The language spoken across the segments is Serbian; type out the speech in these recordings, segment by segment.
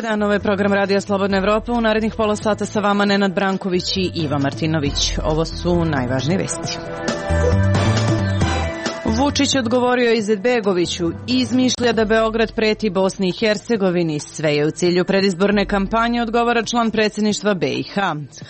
dan, ovo je program Radija Slobodna Evropa. U narednih pola sata sa vama Nenad Branković i Iva Martinović. Ovo su najvažnije vesti. Vučić odgovorio Izetbegoviću, izmišlja da Beograd preti Bosni i Hercegovini, sve je u cilju predizborne kampanje, odgovara član predsjedništva BiH.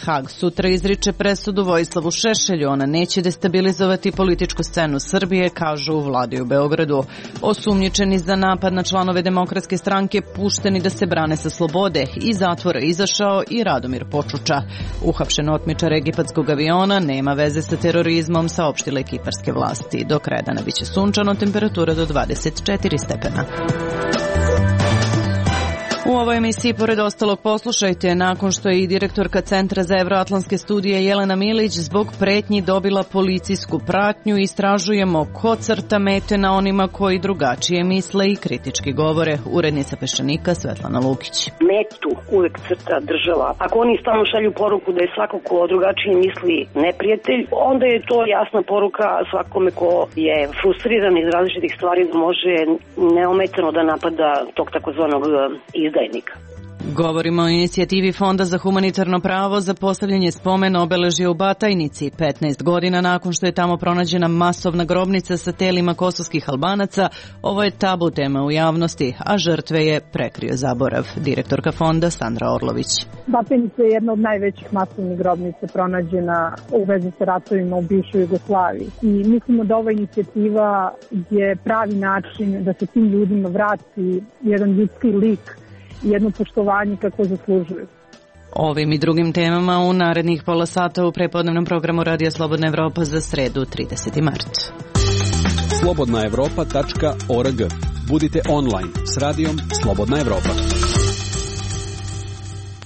Hag sutra izriče presudu Vojislavu Šešelju, ona neće destabilizovati političku scenu Srbije, kažu u vladi u Beogradu. Osumnjičeni za napad na članove Demokratske stranke pušteni da se brane sa slobode, iz zatvora izašao i Radomir Počuča. Uhapšen otmičar egipatskog aviona nema veze sa terorizmom, saopštile kiparske vlasti. Do kraja dana biće sunčano, temperatura do 24 stepena. U ovoj emisiji, pored ostalog, poslušajte, nakon što je i direktorka Centra za evroatlantske studije Jelena Milić zbog pretnji dobila policijsku pratnju, istražujemo ko crta mete na onima koji drugačije misle i kritički govore. Urednica Peščanika Svetlana Lukić. Metu uvek crta država. Ako oni stalno šalju poruku da je svako ko drugačije misli neprijatelj, onda je to jasna poruka svakome ko je frustriran iz različitih stvari da može neometano da napada tog takozvanog izdajnika. Govorimo o inicijativi Fonda za humanitarno pravo za postavljanje spomena obeležja u Batajnici. 15 godina nakon što je tamo pronađena masovna grobnica sa telima kosovskih Albanaca, ovo je tabu tema u javnosti, a žrtve je prekrio zaborav. Direktorka fonda Sandra Orlović. Batajnica je jedna od najvećih masovnih grobnica pronađena u vezi sa ratovima u bivšoj Jugoslaviji. I mislimo da ova inicijativa je pravi način da se tim ljudima vrati jedan ljudski lik, jedno poštovanje kako zaslužuju. Ovim i drugim temama u narednih pola sata u prepodnevnom programu Radija Slobodna Evropa za sredu 30. mart. slobodnaevropa.org. Budite online s radijom Slobodna Evropa.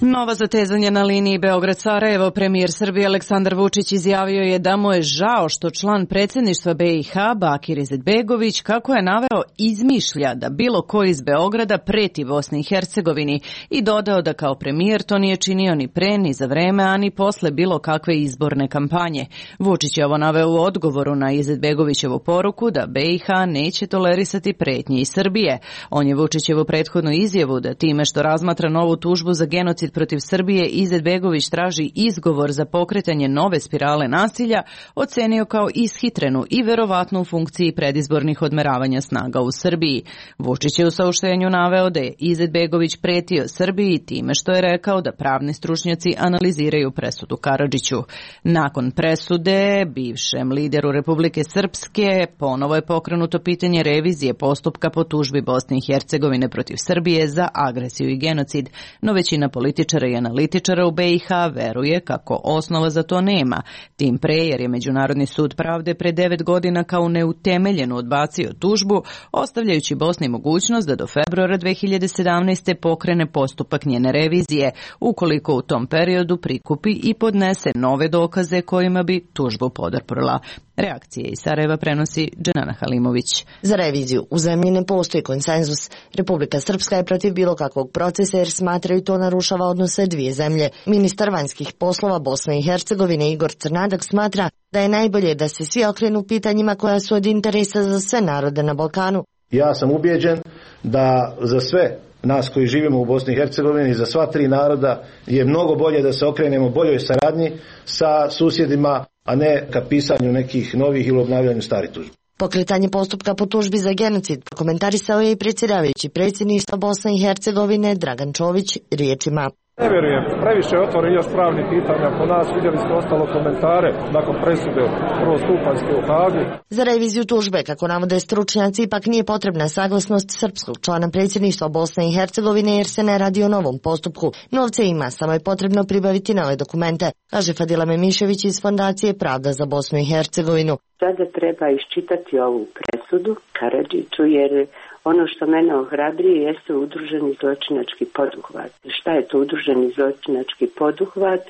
Nova zatezanja na liniji Beograd-Sarajevo. Premijer Srbije Aleksandar Vučić izjavio je da mu je žao što član predsjedništva BiH Bakir Izetbegović, kako je naveo, izmišlja da bilo ko iz Beograda preti Bosni i Hercegovini i dodao da kao premijer to nije činio ni pre, ni za vreme, a ni posle bilo kakve izborne kampanje. Vučić je ovo naveo u odgovoru na Izetbegovićevu poruku da BiH neće tolerisati pretnje iz Srbije. On je Vučićevu prethodnu izjavu da time što razmatra novu tužbu za genocid protiv Srbije, Izetbegović traži izgovor za pokretanje nove spirale nasilja, ocenio kao ishitrenu i verovatno u funkciji predizbornih odmeravanja snaga u Srbiji. Vučić je u saopštenju naveo da je Izetbegović pretio Srbiji time što je rekao da pravni stručnjaci analiziraju presudu Karadžiću. Nakon presude, bivšem lideru Republike Srpske, ponovo je pokrenuto pitanje revizije postupka po tužbi Bosne i Hercegovine protiv Srbije za agresiju i genocid, no većina političara i analitičara u BiH veruje kako osnova za to nema. Tim pre jer je Međunarodni sud pravde pre 9 godina kao neutemeljenu odbacio tužbu, ostavljajući Bosni mogućnost da do februara 2017. pokrene postupak njene revizije, ukoliko u tom periodu prikupi i podnese nove dokaze kojima bi tužbu podarprla. Reakcije iz Sarajeva prenosi Dženana Halimović. Za reviziju u zemlji ne postoji konsenzus. Republika Srpska je protiv bilo kakvog procesa jer smatraju to narušava odnose dvije zemlje. Ministar vanjskih poslova Bosne i Hercegovine Igor Crnadak smatra da je najbolje da se svi okrenu pitanjima koja su od interesa za sve narode na Balkanu. Ja sam ubijeđen da za sve nas koji živimo u Bosni i Hercegovini, za sva tri naroda je mnogo bolje da se okrenemo boljoj saradnji sa susjedima, a ne ka pisanju nekih novih ili obnavljanju starih tužbi. Pokretanje postupka po tužbi za genocid komentarisao je i predsjedavajući predsjedništva Bosne i Hercegovine Dragan Čović riječima: Ne vjerujem, previše otvori još pravnih pitanja po nas, vidjeli smo ostalo komentare nakon presude prvostupanjske u Hagu. Za reviziju tužbe, kako navode stručnjaci, ipak nije potrebna saglasnost srpskog člana predsjedništva Bosne i Hercegovine jer se ne radi o novom postupku. Novce ima, samo je potrebno pribaviti nove dokumente, kaže Fadila Memišević iz Fondacije Pravda za Bosnu i Hercegovinu. Sada treba iščitati ovu presudu Karadžiću jer ono što mene ohrabrije jeste udruženi zločinački poduhvat. Šta je to udruženi zločinački poduhvat?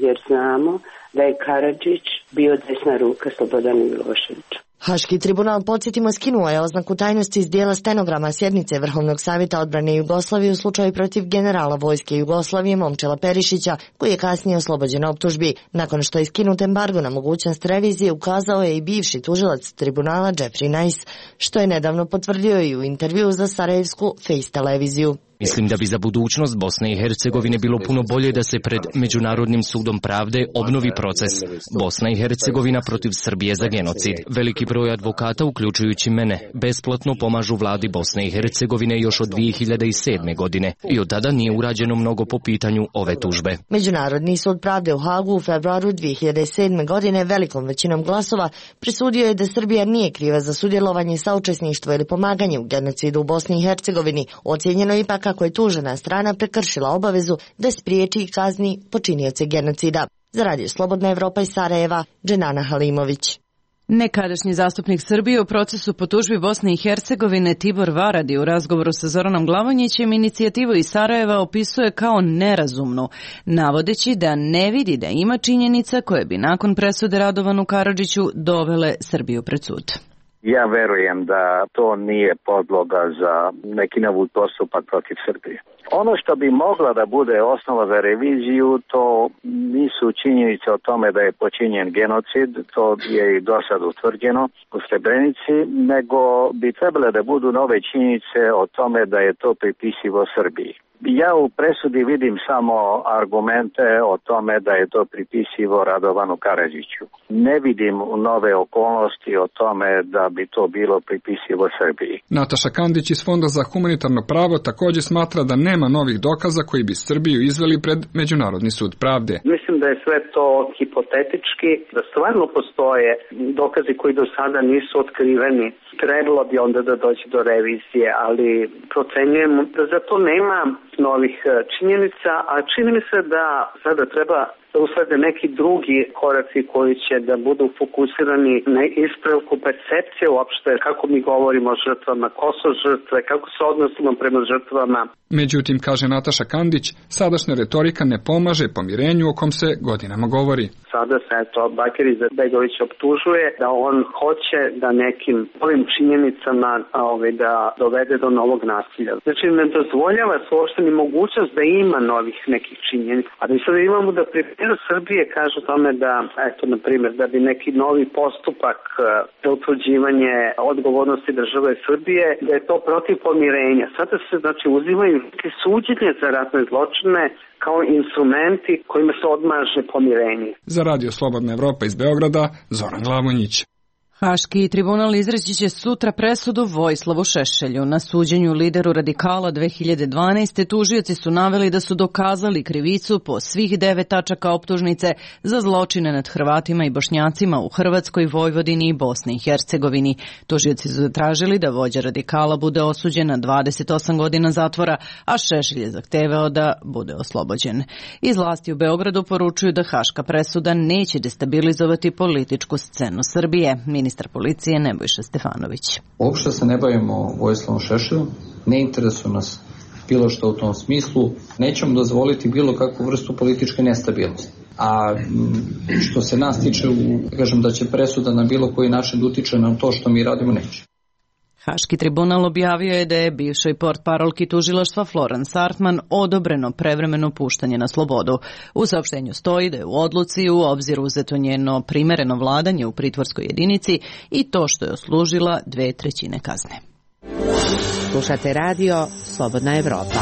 Jer znamo da je Karadžić bio desna ruka Slobodanu Miloševiću. Haški tribunal, podsjetimo, skinuo je oznaku tajnosti iz dijela stenograma sjednice Vrhovnog savjeta odbrane Jugoslavije u slučaju protiv generala vojske Jugoslavije Momčila Perišića, koji je kasnije oslobođen optužbi. Nakon što je skinut embargo na mogućnost revizije, ukazao je i bivši tužilac tribunala Jeffrey Nice, što je nedavno potvrdio i u intervju za sarajevsku Face televiziju. Mislim da bi za budućnost Bosne i Hercegovine bilo puno bolje da se pred Međunarodnim sudom pravde obnovi proces Bosna i Hercegovina protiv Srbije za genocid. Veliki broj advokata, uključujući mene, besplatno pomažu vladi Bosne i Hercegovine još od 2007. godine i od tada nije urađeno mnogo po pitanju ove tužbe. Međunarodni sud pravde u Hagu u februaru 2007. godine velikom većinom glasova presudio je da Srbija nije kriva za sudjelovanje, saučesništvo ili pomaganje u genocidu u Bosni i Hercegovini. Ocijenjeno ipak kako je tužena strana prekršila obavezu da spriječi i kazni počinioce genocida. Za Radio Slobodna Evropa iz Sarajeva, Dženana Halimović. Nekadašnji zastupnik Srbije u procesu po tužbi Bosne i Hercegovine Tibor Varadi u razgovoru sa Zoranom Glavonjićem inicijativu iz Sarajeva opisuje kao nerazumnu, navodeći da ne vidi da ima činjenica koje bi nakon presude Radovanu Karadžiću dovele Srbiju pred sud. Ja verujem da to nije podloga za neki novi postupak protiv Srbije. Ono što bi mogla da bude osnova za reviziju, to nisu činjenice o tome da je počinjen genocid, to je i do sad utvrđeno u Srebrenici, nego bi trebale da budu nove činjenice o tome da je to pripisivo Srbiji. Ja u presudi vidim samo argumente o tome da je to pripisivo Radovanu Karadžiću. Ne vidim nove okolnosti o tome da bi to bilo pripisivo Srbiji. Nataša Kandić iz Fonda za humanitarno pravo također smatra da nema novih dokaza koji bi Srbiju izveli pred Međunarodni sud pravde. Mislim da je sve to hipotetički, da stvarno postoje dokazi koji do sada nisu otkriveni. Trebalo bi onda da dođe do revizije, ali procenjujem da za to nema novih činjenica, a čini mi se da sada treba da uslede neki drugi koraci koji će da budu fokusirani na ispravku percepcije uopšte kako mi govorimo o žrtvama, ko su žrtve, kako se odnosimo prema žrtvama. Međutim, kaže Nataša Kandić, sadašnja retorika ne pomaže pomirenju o kom se godinama govori. Sada se Bakir Izetbegović optužuje da on hoće da nekim ovim činjenicama da dovede do novog nasilja. Znači ne dozvoljava se uopšte ni mogućnost da ima novih nekih činjenica. A mi sada imamo da premijer Srbije kaže tome da, eto, na primjer, da bi neki novi postupak za utvrđivanje odgovornosti države Srbije, da je to protiv pomirenja. Sada se, znači, uzimaju neke suđenje za ratne zločine kao instrumenti kojima se odmaže pomirenje. Za Radio Slobodna Evropa iz Beograda, Zoran Glavonjić. Haški tribunal izreći će sutra presudu Vojislavu Šešelju. Na suđenju lideru radikala 2012. tužioci su naveli da su dokazali krivicu po svih 9 tačaka optužnice za zločine nad Hrvatima i Bošnjacima u Hrvatskoj, Vojvodini i Bosni i Hercegovini. Tužioci su zatražili da vođa radikala bude osuđen na 28 godina zatvora, a Šešelj je zahtevao da bude oslobođen. Iz vlasti u Beogradu poručuju da haška presuda neće destabilizovati političku scenu Srbije. Ministar policije Nebojša Stefanović. Uopšte se ne bavimo Vojislavom Šešeljom, ne interesuje nas bilo što u tom smislu, nećemo dozvoliti bilo kakvu vrstu političke nestabilnosti. A što se nas tiče, kažem da će presuda na bilo koji način da utiče na to što mi radimo, neće. Haški tribunal objavio je da je bivšoj portparolki tužilaštva Florence Artman odobreno prevremeno puštanje na slobodu. U saopštenju stoji da je u odluci u obzir uzeto njeno primereno vladanje u pritvorskoj jedinici i to što je oslužila 2/3 kazne. Slušate radio Slobodna Evropa.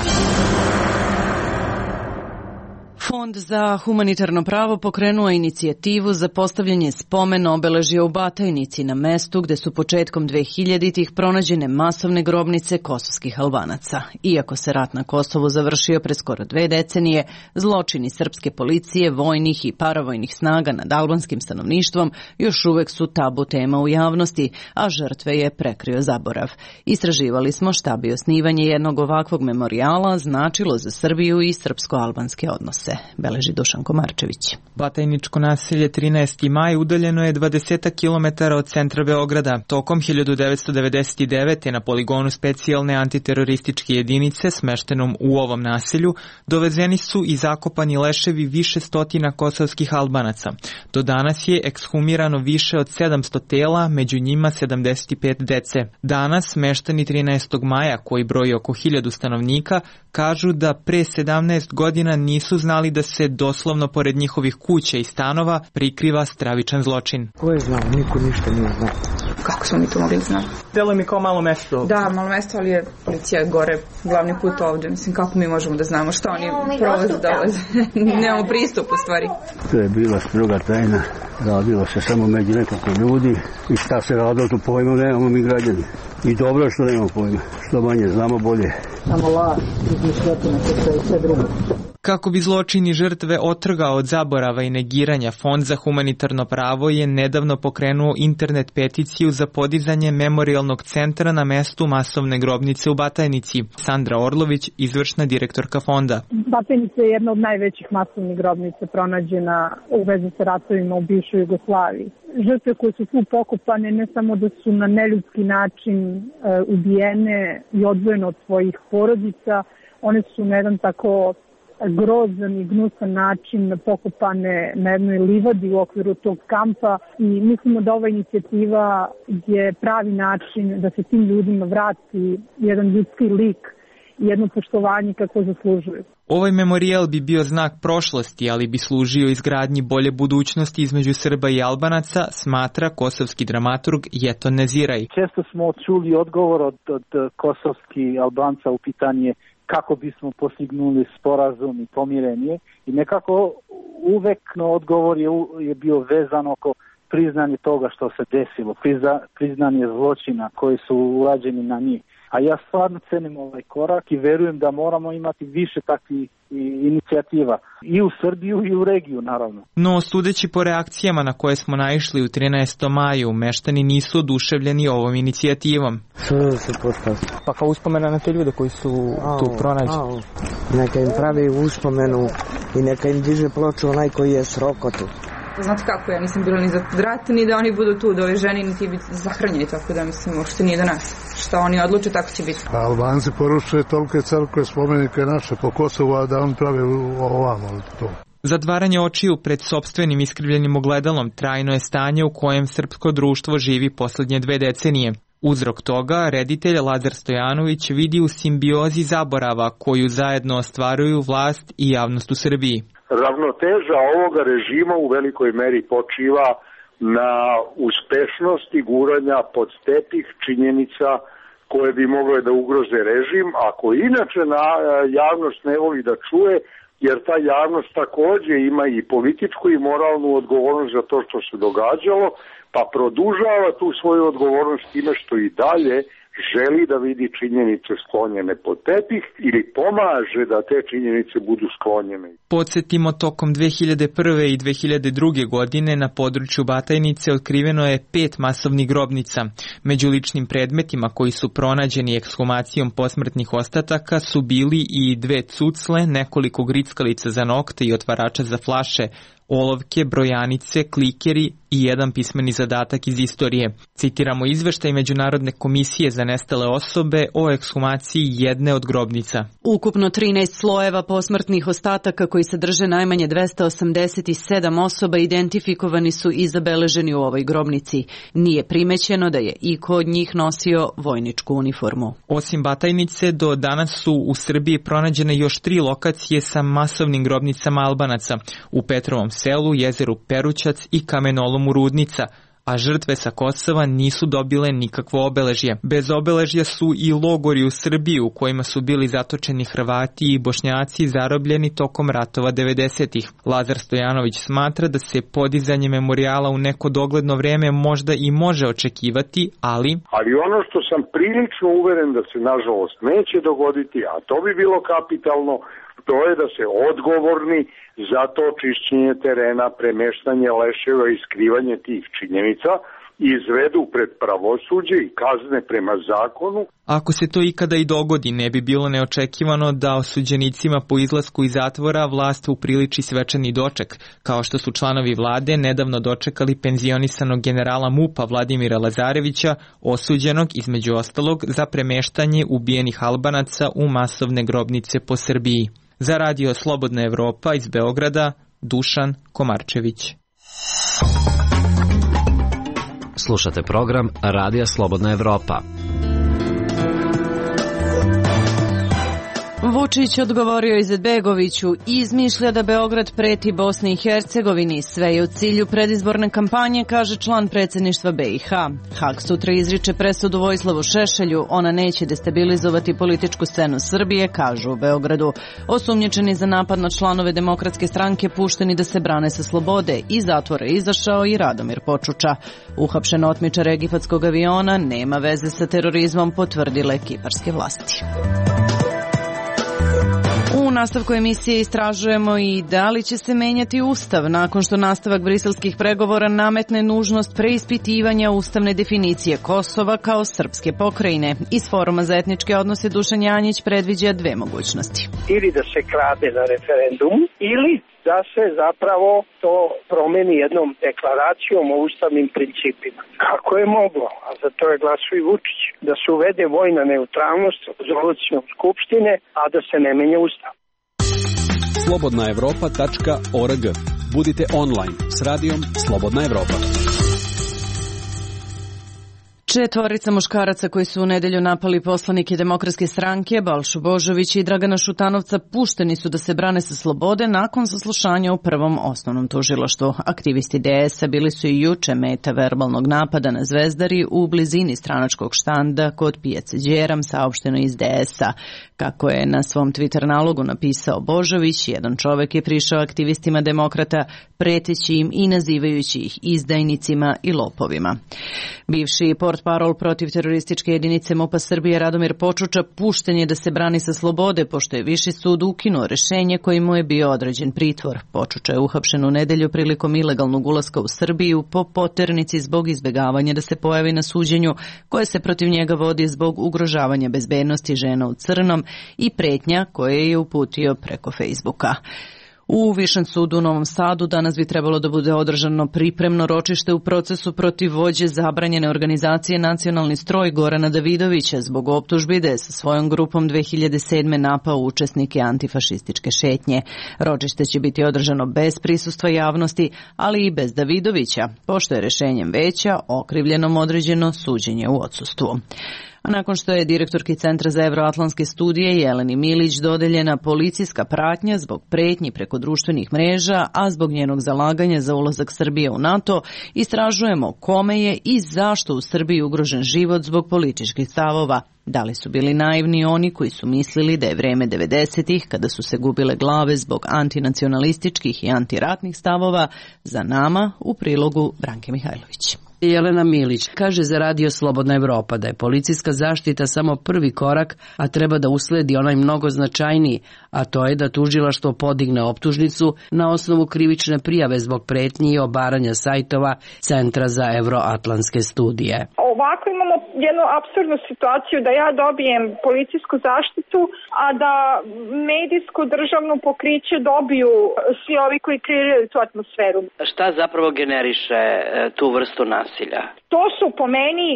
Fond za humanitarno pravo pokrenuo inicijativu za postavljanje spomen obeležja u Batajnici na mestu gde su početkom 2000-ih pronađene masovne grobnice kosovskih Albanaca. Iako se rat na Kosovu završio pre skoro 2 decenije, zločini srpske policije, vojnih i paravojnih snaga nad albanskim stanovništvom još uvek su tabu tema u javnosti, a žrtve je prekrio zaborav. Istraživali smo šta bi osnivanje jednog ovakvog memorijala značilo za Srbiju i srpsko-albanske odnose. Beleži Dušan Komarčević. Batajničko naselje 13. maj udaljeno je 20 km od centra Beograda. Tokom 1999. na poligonu specijalne antiterorističke jedinice smeštenom u ovom naselju dovezeni su i zakopani leševi više stotina kosovskih Albanaca. Do danas je ekshumirano više od 700 tela, među njima 75 dece. Danas meštani 13. maja, koji broji oko 1000 stanovnika, kažu da pre 17 godina nisu znali da se doslovno pored njihovih kuća i stanova prikriva stravičan zločin. Ko je znao? Niko ništa nije znao. Kako smo mi to mogli znati? Delo mi kao malo mesto. Da, malo mesto, ali je policija gore, glavni put ovdje. Mislim, kako mi možemo da znamo šta oni prolaze, dolaze. Nemamo pristup u stvari. To je bila stroga tajna. Radilo se samo među nekoliko ljudi i šta se radilo, to pojma nemamo mi građani. I dobro što nemamo pojma. Što manje znamo, bolje. Samo laž, izmišljotina, to je sve drugo. Kako bi zločini žrtve otrgao od zaborava i negiranja, Fond za humanitarno pravo je nedavno pokrenuo internet peticiju za podizanje memorijalnog centra na mestu masovne grobnice u Batajnici. Sandra Orlović, izvršna direktorka fonda. Batajnica je jedna od najvećih masovnih grobnica pronađena u vezi sa ratovima u bivšoj Jugoslaviji. Žrtve koje su tu pokopane ne samo da su na neljudski način ubijene i odvojene od svojih porodica, one su na jedan tako grozan i gnusan način pokopane na jednoj livadi u okviru tog kampa i mislimo da ova inicijativa je pravi način da se tim ljudima vrati jedan ljudski lik i jedno poštovanje kako zaslužuju. Ovaj memorijal bi bio znak prošlosti, ali bi služio izgradnji bolje budućnosti između Srba i Albanaca, smatra kosovski dramaturg Jeton Neziraj. Često smo čuli odgovor od kosovskih Albanca u pitanje kako bismo postignuli sporazum i pomirenje i nekako uvek odgovor je bio vezan oko priznanje toga što se desilo, priznanje zločina koji su urađeni na njih. A ja stvarno cenim ovaj korak i verujem da moramo imati više takvih inicijativa i u Srbiju i u regiju, naravno. No, sudeći po reakcijama na koje smo naišli u 13. maju, meštani nisu oduševljeni ovom inicijativom. Što se postavi? Pa kao uspomena na te ljude koji su tu pronađeni. Neka im pravi uspomenu i neka im diže ploču onaj koji je srokotu. Znate kako, ja nisam bila ni za rat, ni da oni budu tu, da ove ženi niti biti zahranjeni, tako da mislim, uopšte nije do nas. Šta oni odluče, tako će biti. Albanci poručuje tolike crkve, spomenike naše po Kosovu, a da on pravi ovamo to. Zatvaranje očiju pred sopstvenim iskrivljenim ogledalom trajno je stanje u kojem srpsko društvo živi poslednje 2 decenije. Uzrok toga reditelj Lazar Stojanović vidi u simbiozi zaborava koju zajedno ostvaruju vlast i javnost u Srbiji. Ravnoteža ovoga režima u velikoj meri počiva na uspešnosti guranja pod tepih činjenica koje bi mogle da ugroze režim, ako inače javnost ne voli da čuje, jer ta javnost takođe ima i političku i moralnu odgovornost za to što se događalo, pa produžava tu svoju odgovornost time što i dalje želi da vidi činjenice sklonjene pod tepih ili pomaže da te činjenice budu sklonjene. Podsjetimo, tokom 2001. i 2002. godine na području Batajnice otkriveno je 5 masovnih grobnica. Među ličnim predmetima koji su pronađeni ekshumacijom posmrtnih ostataka su bili i 2 cucle, nekoliko grickalica za nokte i otvarača za flaše, olovke, brojanice, klikeri i jedan pismeni zadatak iz istorije. Citiramo izveštaj Međunarodne komisije za nestale osobe o ekshumaciji jedne od grobnica. Ukupno 13 slojeva posmrtnih ostataka koji sadrže najmanje 287 osoba identifikovani su i zabeleženi u ovoj grobnici. Nije primećeno da je iko od njih nosio vojničku uniformu. Osim Batajnice, do danas su u Srbiji pronađene još 3 lokacije sa masovnim grobnicama Albanaca u Petrovom selu, jezeru Perućac i kamenolomu Rudnica, a žrtve sa Kosova nisu dobile nikakvo obeležje. Bez obeležja su i logori u Srbiji u kojima su bili zatočeni Hrvati i Bošnjaci zarobljeni tokom ratova 90-ih. Lazar Stojanović smatra da se podizanje memorijala u neko dogledno vreme možda i može očekivati, ali ono što sam prilično uveren da se nažalost neće dogoditi, a to bi bilo kapitalno, to je da se odgovorni za to čišćenje terena, premeštanje leševa i skrivanje tih činjenica izvedu pred pravosuđe i kazne prema zakonu. Ako se to ikada i dogodi, ne bi bilo neočekivano da osuđenicima po izlasku iz zatvora vlast upriliči svečani doček, kao što su članovi vlade nedavno dočekali penzionisanog generala MUP-a Vladimira Lazarevića, osuđenog između ostalog za premeštanje ubijenih Albanaca u masovne grobnice po Srbiji. Za radio Slobodna Evropa iz Beograda, Dušan Komarčević. Slušate program Radija Slobodna Evropa. Vučić odgovorio Izetbegoviću, izmišlja da Beograd preti Bosni i Hercegovini, sve je u cilju predizborne kampanje, kaže član predsjedništva BiH. Hag sutra izriče presudu Vojislavu Šešelju, ona neće destabilizovati političku scenu Srbije, kažu u Beogradu. Osumnjičeni za napad na članove Demokratske stranke pušteni da se brane sa slobode, iz zatvora izašao i Radomir Počuča. Uhapšen otmičar egipatskog aviona nema veze sa terorizmom, potvrdile kiparske vlasti. U nastavku emisije istražujemo i da li će se menjati Ustav nakon što nastavak briselskih pregovora nametne nužnost preispitivanja ustavne definicije Kosova kao srpske pokrajine. Iz Foruma za etničke odnose Dušan Janjić predviđa dve mogućnosti. Ili da se krade na referendum, ili da se zapravo to promeni jednom deklaracijom o ustavnim principima. Kako je moglo, a za to je glasao i Vučić, da se uvede vojna neutralnost rezolucijom Skupštine, a da se ne menja Ustav. Slobodnaevropa.org. Budite online s radijom Slobodna Evropa. Četvorica muškaraca koji su u nedelju napali poslanike Demokratske stranke, Balšu Božovića i Dragana Šutanovca, pušteni su da se brane sa slobode nakon saslušanja u prvom osnovnom tužilaštvu. Aktivisti DS-a bili su i juče meta verbalnog napada na Zvezdari u blizini stranačkog štanda kod pijace Đeram, saopšteno iz DS-a. Kako je na svom Twitter nalogu napisao Božović, jedan čovek je prišao aktivistima demokrata preteći im i nazivajući ih izdajnicima i lopovima. Bivši portparol protiv terorističke jedinice MUP-a Srbije Radomir Počuča pušten je da se brani sa slobode, pošto je Viši sud ukinuo rešenje kojim mu je bio određen pritvor. Počuča je uhapšen u nedelju prilikom ilegalnog ulaska u Srbiju po poternici zbog izbegavanja da se pojavi na suđenju koje se protiv njega vodi zbog ugrožavanja bezbednosti žena u crnom i pretnja koje je uputio preko Facebooka. U Višem sudu u Novom Sadu danas bi trebalo da bude održano pripremno ročište u procesu protiv vođe zabranjene organizacije Nacionalni stroj Gorana Davidovića zbog optužbi da je sa svojom grupom 2007. napao učesnike antifašističke šetnje. Ročište će biti održano bez prisustva javnosti, ali i bez Davidovića, pošto je rešenjem veća okrivljenom određeno suđenje u odsustvu. A nakon što je direktorki Centra za evroatlantske studije Jeleni Milić dodeljena policijska pratnja zbog pretnji preko društvenih mreža, a zbog njenog zalaganja za ulazak Srbije u NATO, istražujemo kome je i zašto u Srbiji ugrožen život zbog političkih stavova. Da li su bili naivni oni koji su mislili da je vreme 90-ih, kada su se gubile glave zbog antinacionalističkih i antiratnih stavova, za nama u prilogu Branke Mihajlović. Jelena Milić kaže za Radio Slobodna Evropa da je policijska zaštita samo prvi korak, a treba da usledi onaj mnogo značajniji, a to je da tužilaštvo podigne optužnicu na osnovu krivične prijave zbog pretnji i obaranja sajtova Centra za evroatlantske studije. Ovako imamo jednu apsurdnu situaciju da ja dobijem policijsku zaštitu, a da medijsku državnu pokriće dobiju svi ovi koji kreiraju tu atmosferu. Šta zapravo generiše tu vrstu nasilja? To su po meni,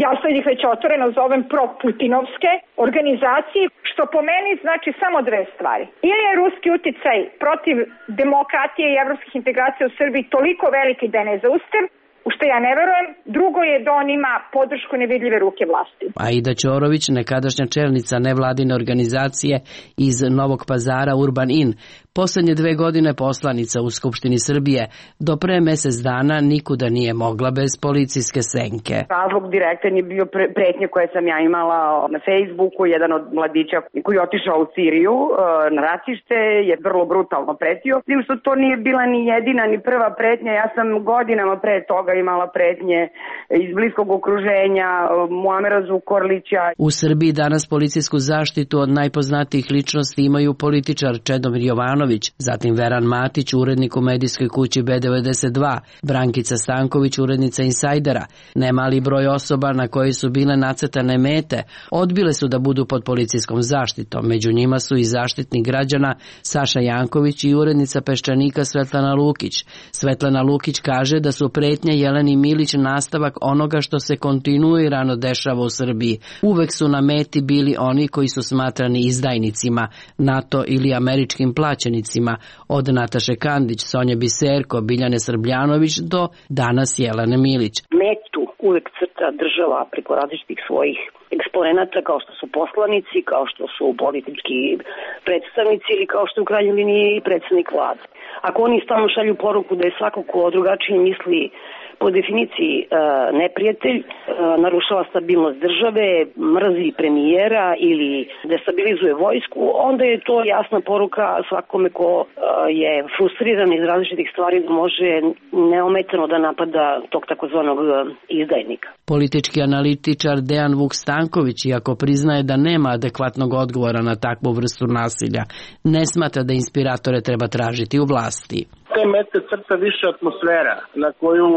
ja sad ih već otvoreno zovem pro-putinovske organizacije, što po meni znači samo dve stvari. Ili je ruski uticaj protiv demokratije i evropskih integracija u Srbiji toliko veliki da je nezaustav, u što ja ne verujem. Drugo je da on ima podršku nevidljive ruke vlasti. Aida Ćorović, nekadašnja čelnica nevladine organizacije iz Novog Pazara Urban In, poslednje 2 godine poslanica u Skupštini Srbije, do pre mesec dana nikuda nije mogla bez policijske senke. Razlog direktan je bio pretnje koje sam ja imala na Facebooku. Jedan od mladića koji je otišao u Siriju na ratište je vrlo brutalno pretio. Tim što to nije bila ni jedina ni prva pretnja. Ja sam godinama pre toga imala pretnje iz bliskog okruženja Muamera Zukorlića. U Srbiji danas policijsku zaštitu od najpoznatijih ličnosti imaju političar Čedomir Jovanović, zatim Veran Matić, urednik u medijskoj kući B92, Brankica Stanković, urednica Insajdera. Nemali broj osoba na koji su bile nacrtane mete odbile su da budu pod policijskom zaštitom. Među njima su i zaštitnik građana Saša Janković i urednica Peščanika Svetlana Lukić. Svetlana Lukić kaže da su pretnje Jeleni Milić nastavak onoga što se kontinuirano dešava u Srbiji. Uvek su na meti bili oni koji su smatrani izdajnicima, NATO ili američkim plaćenicima, od Nataše Kandić, Sonje Biserko, Biljane Srbljanović do danas Jelene Milić. Metu uvek crta država preko različitih svojih eksponenata kao što su poslanici, kao što su politički predstavnici ili kao što je u krajnjoj liniji i predsednik vlade. Ako oni stalno šalju poruku da je svako ko drugačije misli po definiciji neprijatelj, narušava stabilnost države, mrzi premijera ili destabilizuje vojsku, onda je to jasna poruka svakome ko je frustriran iz različitih stvari da može neometano da napada tog takozvanog izdajnika. Politički analitičar Dejan Vuk Stanković, iako priznaje da nema adekvatnog odgovora na takvu vrstu nasilja, ne smatra da inspiratore treba tražiti u vlasti. Te mete crta više atmosfera na koju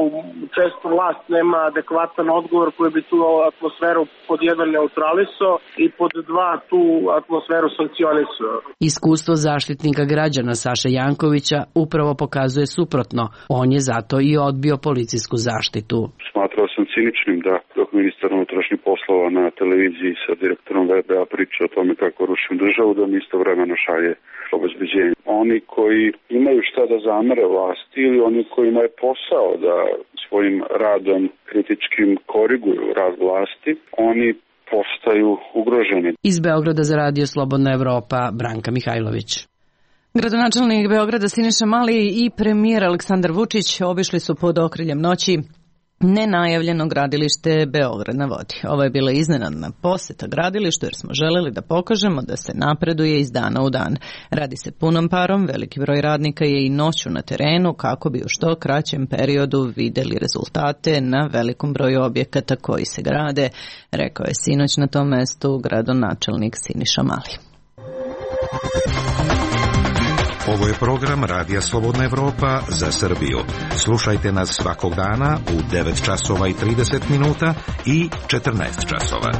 često vlast nema adekvatan odgovor koji bi tu atmosferu pod jedan neutralisao i pod dva tu atmosferu sankcionisao. Iskustvo zaštitnika građana Saše Jankovića upravo pokazuje suprotno. On je zato i odbio policijsku zaštitu. Smatrao sam ciničnim da dok ministar unutrašnjih poslova na televiziji sa direktorom VBA priča o tome kako rušim državu, da mi istovremeno šalje obezbeđenje. Oni koji imaju šta da zamere vlasti ili oni kojima je posao da svojim radom kritičkim koriguju rad vlasti, oni postaju ugroženi. Iz Beograda za Radio Slobodna Evropa, Branka Mihajlović. Gradonačelnik Beograda Siniša Mali i premijer Aleksandar Vučić obišli su pod okriljem noći nenajavljeno gradilište Beograd na vodi. Ovo je bila iznenadna poseta gradilištu jer smo želeli da pokažemo da se napreduje iz dana u dan. Radi se punom parom, veliki broj radnika je i noću na terenu kako bi u što kraćem periodu videli rezultate na velikom broju objekata koji se grade, rekao je sinoć na tom mestu gradonačelnik Siniša Mali. Ovo je program Radija Slobodna Evropa za Srbiju. Slušajte nas svakog dana u 9 časova i 30 minuta i 14 časova.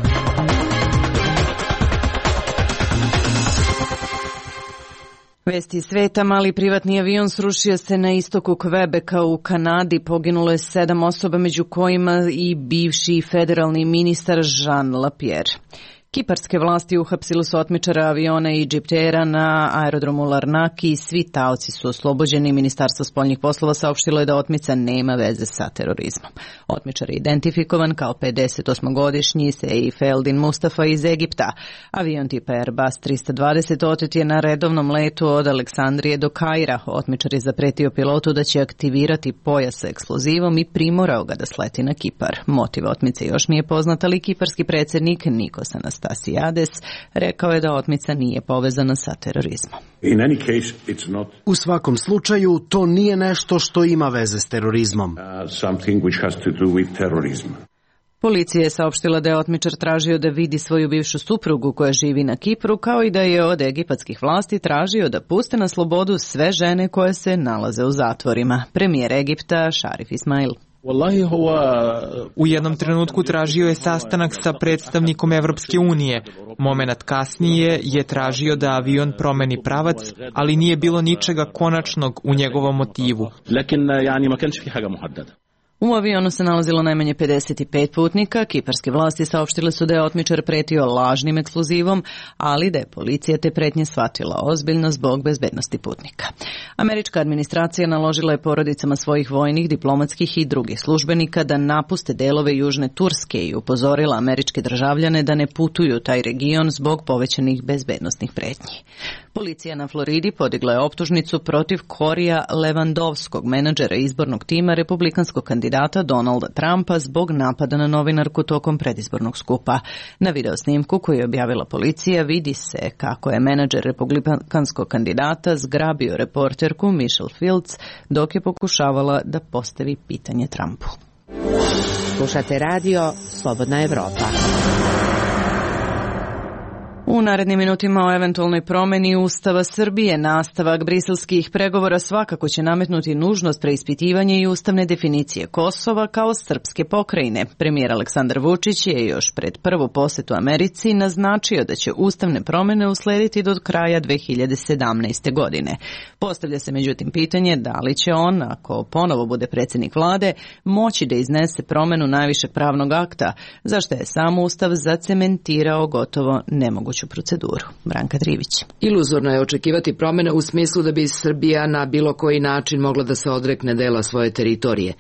Vesti sveta, mali privatni avion srušio se na istoku Quebeca u Kanadi. Poginulo je 7 osoba, među kojima i bivši federalni ministar Jean Lapierre. Kiparske vlasti uhapsili su otmičara aviona i Egyptera na aerodromu Larnaki. Svi taoci su oslobođeni. Ministarstvo spoljnih poslova saopštilo je da otmica nema veze sa terorizmom. Otmičar je identifikovan kao 58-godišnji Seif Eldin Mustafa iz Egipta. Avion tipa Airbus 320 otet je na redovnom letu od Aleksandrije do Kaira. Otmičar je zapretio pilotu da će aktivirati pojas sa eksplozivom i primorao ga da sleti na Kipar. Motiv otmice još nije poznat, ali kiparski predsjednik Nikos Anastasiades rekao je da otmica nije povezana sa terorizmom. U svakom slučaju, to nije nešto što ima veze s terorizmom. Policija je saopštila da je otmičar tražio da vidi svoju bivšu suprugu koja živi na Kipru, kao i da je od egipatskih vlasti tražio da puste na slobodu sve žene koje se nalaze u zatvorima. Premijer Egipta Šarif Ismail. U jednom trenutku tražio je sastanak sa predstavnikom Evropske unije. Momenat kasnije je tražio da avion promeni pravac, ali nije bilo ničega konačnog u njegovom motivu. U avionu se nalazilo najmanje 55 putnika. Kiparske vlasti saopštile su da je otmičar pretio lažnim eksplozivom, ali da je policija te pretnje shvatila ozbiljno zbog bezbednosti putnika. Američka administracija naložila je porodicama svojih vojnih, diplomatskih i drugih službenika da napuste delove južne Turske i upozorila američke državljane da ne putuju u taj region zbog povećanih bezbednosnih pretnji. Policija na Floridi podigla je optužnicu protiv Korija Levandovskog, menadžera izbornog tima republikanskog kandidata Donalda Trumpa zbog napada na novinarku tokom predizbornog skupa. Na videosnimku koju je objavila policija vidi se kako je menadžer republikanskog kandidata zgrabio reporterku Michelle Fields dok je pokušavala da postavi pitanje Trumpu. Slušate radio Slobodna Evropa. U narednim minutima o eventualnoj promeni Ustava Srbije nastavak briselskih pregovora svakako će nametnuti nužnost preispitivanja i ustavne definicije Kosova kao srpske pokrajine. Premijer Aleksandar Vučić je još pred prvu posetu Americi naznačio da će ustavne promene uslediti do kraja 2017. godine. Postavlja se međutim pitanje da li će on, ako ponovo bude predsjednik vlade, moći da iznese promenu najvišeg pravnog akta, za što je sam Ustav zacementirao gotovo nemoguće moguću proceduru. Branka Trivić. Iluzorno je očekivati promene u smislu da bi Srbija na bilo koji način mogla da se odrekne dela svoje teritorije,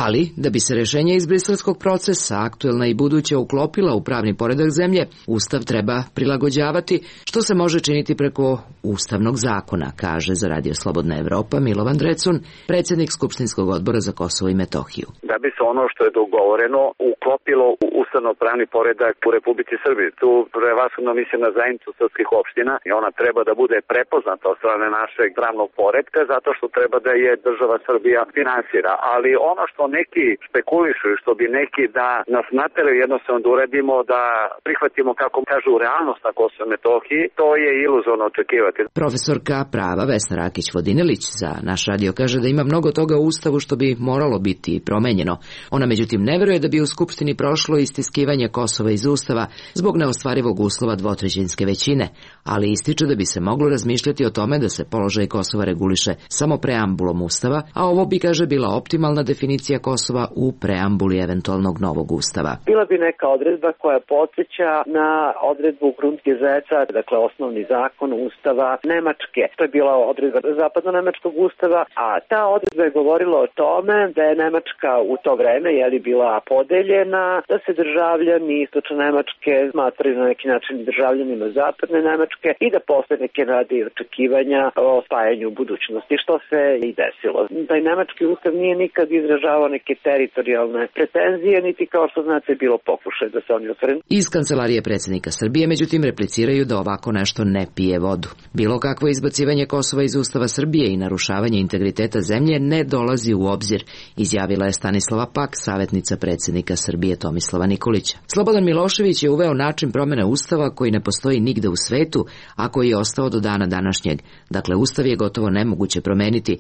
ali da bi se rešenje iz briselskog procesa, aktuelna i buduća, uklopila u pravni poredak zemlje, Ustav treba prilagođavati, što se može činiti preko Ustavnog zakona, kaže za Radio Slobodna Evropa Milovan Drecun, predsjednik Skupštinskog odbora za Kosovo i Metohiju. Da bi se ono što je dogovoreno uklopilo u ustavno-pravni poredak u Republici Srbiji. Tu prevashodno mislim na zajednicu srpskih opština i ona treba da bude prepoznata od strane našeg pravnog poretka zato što treba da je država Srbija finansira. Ali ono što neki špekulišu i što bi neki da nas nateraju jednostavno da uradimo, da prihvatimo, kako kažu, realnost na Kosovo i Metohiji, to je iluzorno očekivati. Profesorka prava Vesna Rakić-Vodinelić za naš radio kaže da ima mnogo toga u Ustavu što bi moralo biti promenjeno. Ona međutim ne veruje da bi u Skupštini prošlo istiskivanje Kosova iz Ustava zbog neostvarivog uslova dvotrećinske većine, ali ističe da bi se moglo razmišljati o tome da se položaj Kosova reguliše samo preambulom Ustava, a ovo bi, kaže, bila optimalna definicija Kosova u preambuli eventualnog novog Ustava. Bila bi neka odredba koja podsjeća na odredbu Grundgesetza, dakle osnovni zakon Ustava Nemačke. To je bila odredba zapadno-nemačkog Ustava, a ta odredba je govorila o tome da je Nemačka u to vreme bila podeljena, da se državljani istočne Nemačke smatraju na neki način državljanima zapadne Nemačke i da posle neke nade i očekivanja o spajanju u budućnosti, što se i desilo. Taj nemački ustav nije nikad izražavao neke teritorijalne pretenzije, niti kao što znate bilo pokušaj da se oni osvrnu. Iz kancelarije predsjednika Srbije međutim repliciraju da ovako nešto ne pije vodu. Bilo kakvo izbacivanje Kosova iz Ustava Srbije i narušavanje integriteta zemlje ne dolazi u obzir, izjavila je Stanislava Pak, savjetnica predsjednika Srbije Tomislava Nikolića. Slobodan Milošević je uveo način promjene Ustava koji ne postoji nigde u svetu, a koji je ostao do dana današnjeg. Dakle, Ustav je gotovo nemoguće promeniti,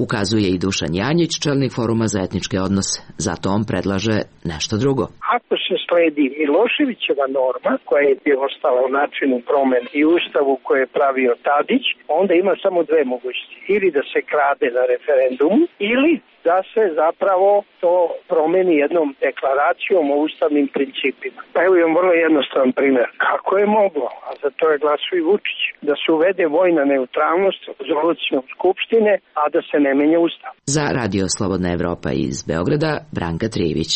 ukazuje i Dušan Janjić, čelnik Foruma za etničke odnose. Zato on predlaže nešto drugo. Ako se sledi Miloševićeva norma, koja je ostala u načinu promene i Ustavu koje je pravio Tadić, onda ima samo dve mogućnosti. Ili da se krade na referendumu, ili da se zapravo to promeni jednom deklaracijom o ustavnim principima. Pa evo imam vrlo jednostavan primjer. Kako je moglo, a za to je glasao i Vučić, da se uvede vojna neutralnost rezolucijom Skupštine, a da se ne menja Ustav? Za Radio Slobodna Evropa iz Beograda, Branka Trivić.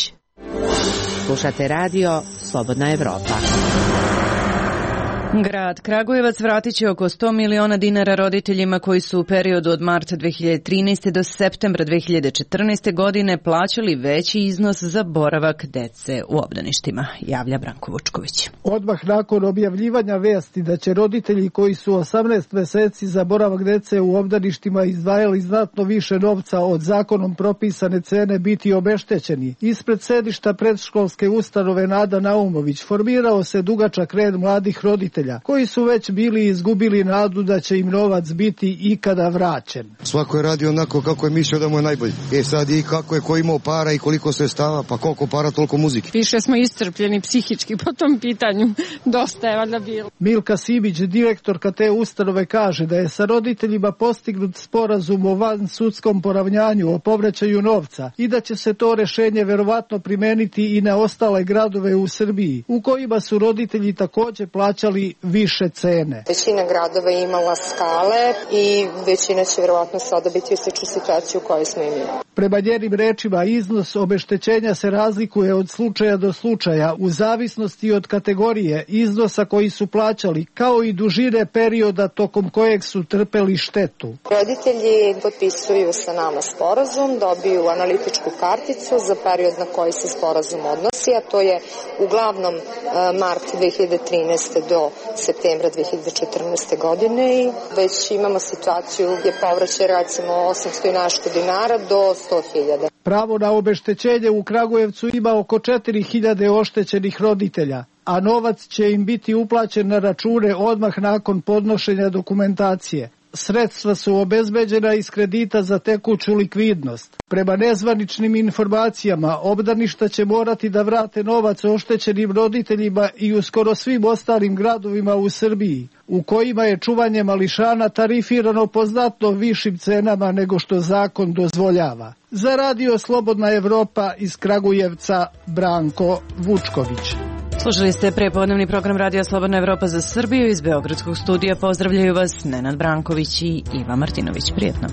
Slušate Radio Slobodna Evropa. Grad Kragujevac vratit će oko 100 miliona dinara roditeljima koji su u periodu od marta 2013. do septembra 2014. godine plaćali veći iznos za boravak dece u obdaništima, javlja Branko Vučković. Odmah nakon objavljivanja vesti da će roditelji koji su 18 meseci za boravak dece u obdaništima izdvajali znatno više novca od zakonom propisane cene biti obeštećeni, ispred sedišta predškolske ustanove Nada Naumović formirao se dugačak red mladih roditelja koji su već bili izgubili nadu da će im novac biti ikada vraćen. Svako je radio onako kako je mislio da mu je najbolje. Sad i kako je ko imao para i koliko sredstava, pa koliko para, toliko muzike. Više smo iscrpljeni psihički po tom pitanju. Dosta je valjda bilo. Milka Sibić, direktorka te ustanove, kaže da je sa roditeljima postignut sporazum o vansudskom poravnjanju o povraćaju novca i da će se to rešenje verovatno primeniti i na ostale gradove u Srbiji, u kojima su roditelji takođe plaćali više cene. Većina gradova je imala skale i većina će verovatno sada biti u sličnu situaciju u kojoj smo imali. Prema njenim rečima, iznos obeštećenja se razlikuje od slučaja do slučaja u zavisnosti od kategorije iznosa koji su plaćali, kao i dužine perioda tokom kojeg su trpeli štetu. Roditelji potpisuju sa nama sporazum, dobiju analitičku karticu za period na koji se sporazum odnosi, a to je uglavnom mart 2013. do septembra 2014. godine i već imamo situaciju gdje povraćaj recimo 800 i nešto dinara do 100.000. Pravo na obeštećenje u Kragujevcu ima oko 4.000 oštećenih roditelja, a novac će im biti uplaćen na račune odmah nakon podnošenja dokumentacije. Sredstva su obezbeđena iz kredita za tekuću likvidnost. Prema nezvaničnim informacijama, obdaništa će morati da vrate novac oštećenim roditeljima i u skoro svim ostalim gradovima u Srbiji, u kojima je čuvanje mališana tarifirano po znatno višim cenama nego što zakon dozvoljava. Za Radio Slobodna Evropa iz Kragujevca, Branko Vučković. Slušali ste prepodnevni program Radija Slobodna Evropa za Srbiju. Iz Beogradskog studija pozdravljaju vas Nenad Branković i Iva Martinović. Prijetno.